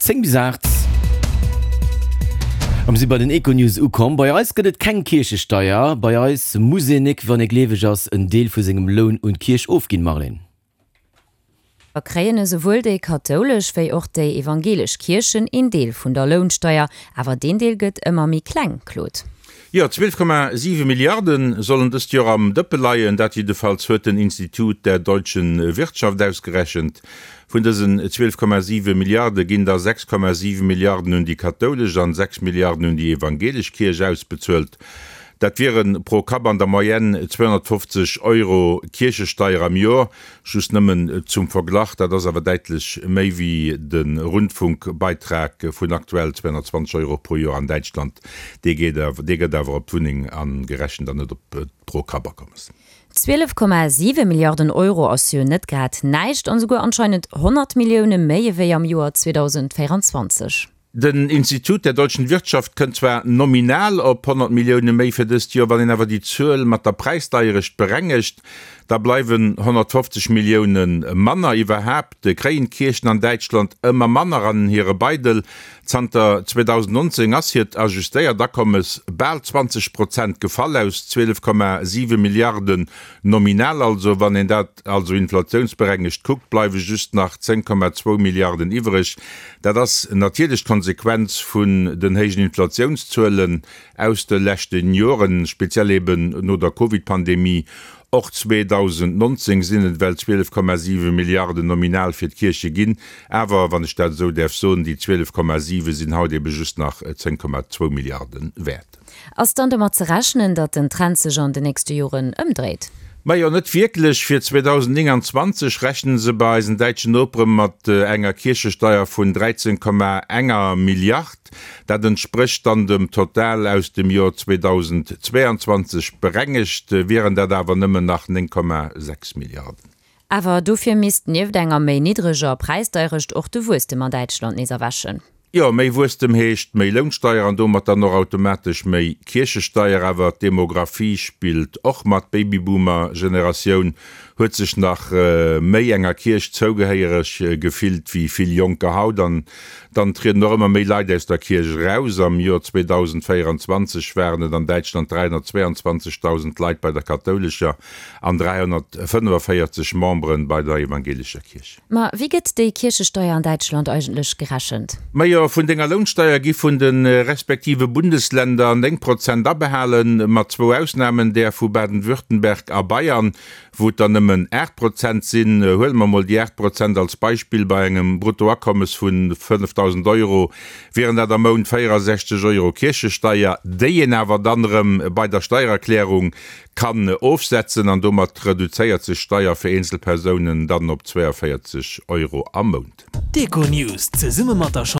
10 bis 8. A mir si bei den Econews ukomm. Bei eis gëtt et keng Kierchesteier. Bei eis muss een nik, wann ee gleeweg ass, en Deel vu sengem Loun un d'Kierch ofginn, Marlene. Kréien esouwuel déi kathoulesch wéi och déi evangelesch Kierchen een Deel vun der Lounsteier. Awer deen Deel gëtt ëmmer méi kleng, Claude. Jo, 12,7 Milliarde sollen dëst Joer am Dëppe leien. Dat jiddefalls huet den Institut der deutschen Wirtschaft ausgerechent. Vun dësen 12,7 Milliarde ginn der 6,7 Milliarden un déi kathoulesch an 6 Milliarden un déi evangelesch Kierch ausbezuelt. Dat wiere pro Kapp an der Moyenne 250 Euro Kierchesteier am Joer. Just nëmmen zum Verglach, dat ass awer däitlech méi wéi de Rundfunkbeitrag vun aktuell 220 Euro pro Joer an Däitschland. Dee geet awer, dee gëtt awer op d'Wunneng agerechent an net op d'Pro-Kapp-Akommes. 12,7 Milliarden Euro ass jo net grad näischt an esouguer anscheinend 100 Millioune méi ewéi am Joer 2024. Den Institut der deutschen Wirtschaft kënnt zwar nominal op 100 Millioune méi fir dëst Joer, wann een awer déi Zuel mat der Präisdeierecht berengegt, da bleiwen 150 Millioune manner. Iwwerhaapt kréien d'Kierchen an Däitschland ëmmer manner an hire Beidel. Zanter 2019 ass hiert ajustéiert Akommes bal 20 Prozent gefall, aus 12,7 Milliarden nominal also. Wann een dat also inflatiounsberengegt kuckt, bleiwe just nach 10,2 Milliarden iwwreg. Dat ass natierlech d'Konsequenz vun den héijen Inflatiounszuelen aus de leschte Joren, speziell eben no der Covid-Pandemie. Och 2019 sinn et ewell 12,7 Milliarden nominal fir d'Kierche ginn. Awer, wann ech dat esou däerf soen, déi 12,7 sinn haut ebe just nach 10,2 Milliarde wäert. Ass dann domat ze rechnen, datt den Trend sech an de nächste Joren ëmdréit? Majo, net wierklech. Fir 2029 rechne se bei eisen däitschen Nopere mat enger Kierchesteier vun 13,enger Milliard. Dat entsprécht dann dem Total aus dem Joer 2022. Berengegt wieren dat awer nëmmen nach 9,6 Milliarden. Awer dofir misst nieft enger méi niddreger Präisdeierecht och de Wuesstem an Däitschland nees erwächen. Jo, méi Wuesstem heescht méi Lounsteier an domat dann och automatesch méi Kierchesteier. Awer d'Demographie spillt och mat. D'Babyboomer-Generatioun huet sech nach méi enger Kierch zougehéiereg gefillt wéi vill Jonker haut. An dann trieden och ëmmer méi Leit aus der Kierch eraus. Am Joer 2024 waren et an Däitschland 322.000 Leit bei der kathoulescher an 345 Memberen bei der evangelescher Kierch. Ma wéi gëtt déi Kierchesteier an Däitschland eigentlech gerechent? Majo, vun denger Lounsteier gi vun de respektive Bundesländer 9 Prozent abehalen, mat zwou Ausnamen, där vu Baden-Württemberg a Bayern, wou et der nëmmen 8 Prozent sinn. Huele mer mol déi 8 Prozent als Beispill, Bei engem Bruttoakommes vu 5.000 Euro wieren dat am Mount 64 Euro Kierchesteier, déi een awer dann erëm bei der Steiererklärung Kann ofsetzen an domat reduzéiert sech d'Steier fir eenzel Persounen dann op 42 Euro am Mount. D'Econews zesumme mat der.